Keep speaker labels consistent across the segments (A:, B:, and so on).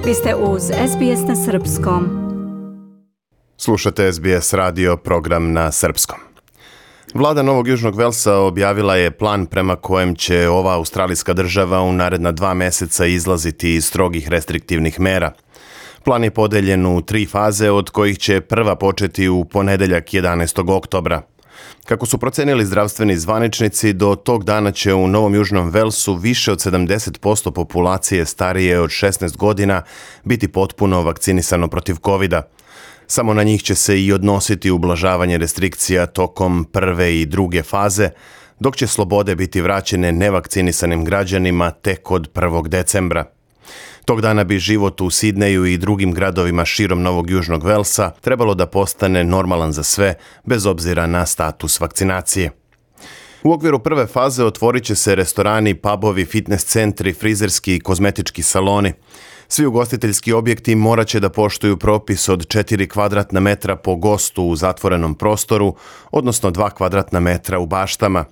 A: Vi ste uz SBS na Srpskom.
B: Slušate SBS radio program na srpskom. Vlada Novog Južnog Velsa objavila je plan prema kojem će ova australijska država u naredna 2 mjeseca izlaziti iz strogih restriktivnih mera. Plan je podeljen u 3 faze, od kojih će prva početi u ponedjeljak 11. oktobra. Kako su procenili zdravstveni zvaničnici, do tog dana će u Novom Južnom Velsu više od 70% populacije starije od 16 godina biti potpuno vakcinisano protiv covida. Samo na njih će se i odnositi ublažavanje restrikcija tokom prve i druge faze, dok će slobode biti vraćene nevakcinisanim građanima tek od 1. decembra. Tog dana bi život u Sidneju i drugim gradovima širom Novog Južnog Velsa trebalo da postane normalan za sve, bez obzira na status vakcinacije. U okviru prve faze otvorit će se restorani, pubovi, fitness centri, frizerski i kozmetički saloni. Svi ugostiteljski objekti morat će da poštuju propis od 4 kvadratna metra po gostu u zatvorenom prostoru, odnosno 2 kvadratna metra u baštama.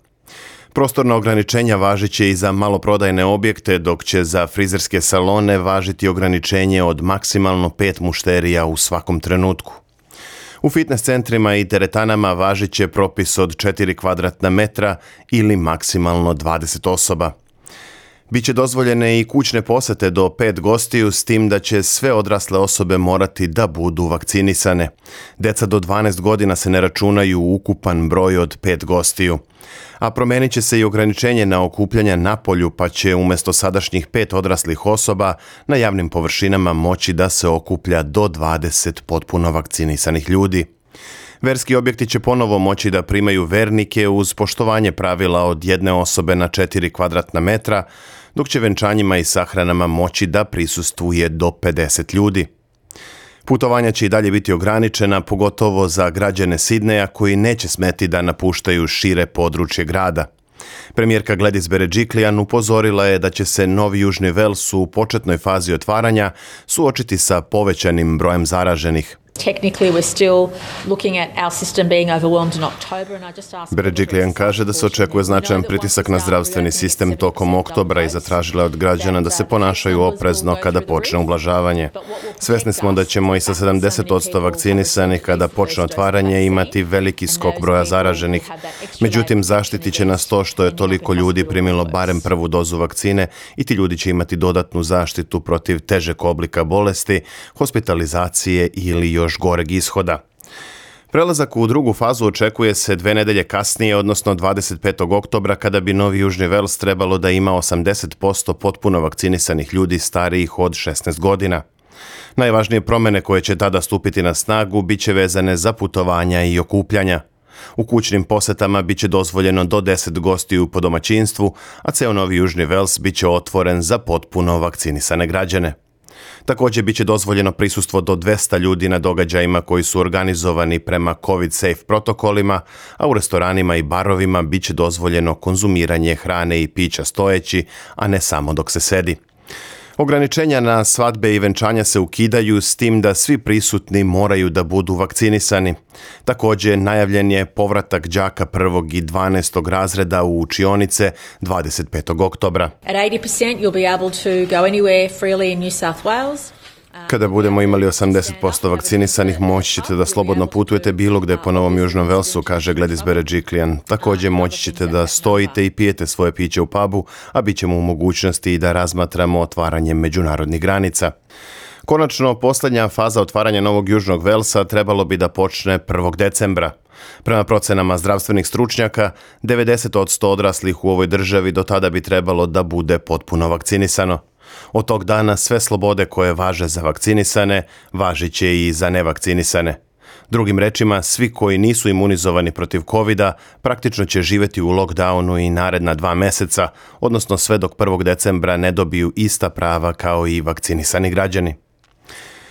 B: Prostorna ograničenja važit će i za maloprodajne objekte, dok će za frizerske salone važiti ograničenje od maksimalno 5 mušterija u svakom trenutku. U fitness centrima i teretanama važit će propis od 4 kvadratna metra ili maksimalno 20 osoba. Biće dozvoljene i kućne posete do 5 gostiju, s tim da će sve odrasle osobe morati da budu vakcinisane. Deca do 12 godina se ne računaju u ukupan broj od 5 gostiju. A promenit će se i ograničenje na okupljanja napolju, pa će umjesto sadašnjih 5 odraslih osoba na javnim površinama moći da se okuplja do 20 potpuno vakcinisanih ljudi. Verski objekti će ponovo moći da primaju vernike uz poštovanje pravila od 1 osobe na 4 kvadratna metra, dok će venčanjima i sahranama moći da prisustvuje do 50 ljudi. Putovanja će i dalje biti ograničena, pogotovo za građane Sidneja koji neće smeti da napuštaju šire područje grada. Premijerka Gladys Berejiklian upozorila je da će se Novi Južni Vels u početnoj fazi otvaranja suočiti sa povećanim brojem zaraženih. Berejiklian kaže da se očekuje značajan pritisak na zdravstveni sistem tokom oktobra i zatražila od građana da se ponašaju oprezno kada počne ublažavanje. Svesni smo da ćemo i sa 70% vakcinisanih kada počne otvaranje imati veliki skok broja zaraženih. Međutim, zaštitit će nas to što je toliko ljudi primilo barem prvu dozu vakcine i ti ljudi će imati dodatnu zaštitu protiv težeg oblika bolesti, hospitalizacije ili još goreg ishoda. Prelazak u drugu fazu očekuje se 2 nedelje kasnije, odnosno 25. oktobra, kada bi Novi Južni Vels trebalo da ima 80% potpuno vakcinisanih ljudi starijih od 16 godina. Najvažnije promjene koje će tada stupiti na snagu bit će vezane za putovanja i okupljanja. U kućnim posetama bit će dozvoljeno do 10 gostiju po domaćinstvu, a ceo Novi Južni Vels bit će otvoren za potpuno vakcinisane građane. Također bit će dozvoljeno prisustvo do 200 ljudi na događajima koji su organizovani prema COVID-safe protokolima, a u restoranima i barovima bit će dozvoljeno konzumiranje hrane i pića stojeći, a ne samo dok se sedi. Ograničenja na svadbe i venčanja se ukidaju, s tim da svi prisutni moraju da budu vakcinisani. Također najavljen je povratak đaka 1. i 12. razreda u učionice 25. oktobra.
C: At 80% you'll be able to go anywhere freely in New South Wales.
B: Kada budemo imali 80% vakcinisanih, moći ćete da slobodno putujete bilo gde po Novom Južnom Velsu, kaže Gladys Berejiklian. Također moći ćete da stojite i pijete svoje piće u pubu, a bit ćemo u mogućnosti i da razmatramo otvaranje međunarodnih granica. Konačno, posljednja faza otvaranja Novog Južnog Velsa trebalo bi da počne 1. decembra. Prema procenama zdravstvenih stručnjaka, 90% odraslih u ovoj državi do tada bi trebalo da bude potpuno vakcinisano. Od tog dana sve slobode koje važe za vakcinisane, važit će i za nevakcinisane. Drugim rečima, svi koji nisu imunizovani protiv covida praktično će živjeti u lockdownu i naredna 2 mjeseca, odnosno sve dok 1. decembra ne dobiju ista prava kao i vakcinisani građani.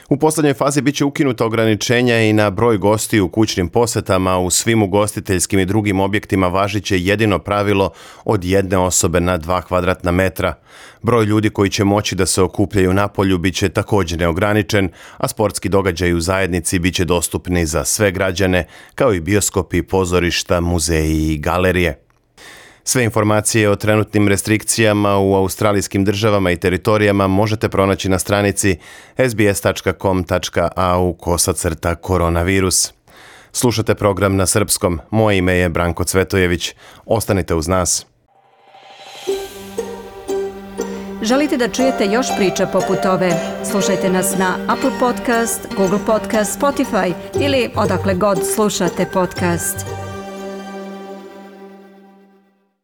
B: U posljednjoj fazi bit će ukinuta ograničenja i na broj gostiju u kućnim posetama. U svim ugostiteljskim i drugim objektima važit će jedino pravilo od 1 osobe na 2 kvadratna metra. Broj ljudi koji će moći da se okupljaju napolju bit će također neograničen, a sportski događaji u zajednici bit će dostupni za sve građane, kao i bioskopi, pozorišta, muzeji i galerije. Sve informacije o trenutnim restrikcijama u australijskim državama i teritorijama možete pronaći na stranici sbs.com.au/koronavirus. Slušate program na srpskom. Moje ime je Branko Cvetojević. Ostanite uz nas.
A: Želite da čujete još priča poput ove? Slušajte nas na Apple Podcast, Google Podcast, Spotify ili odakle god slušate podcast.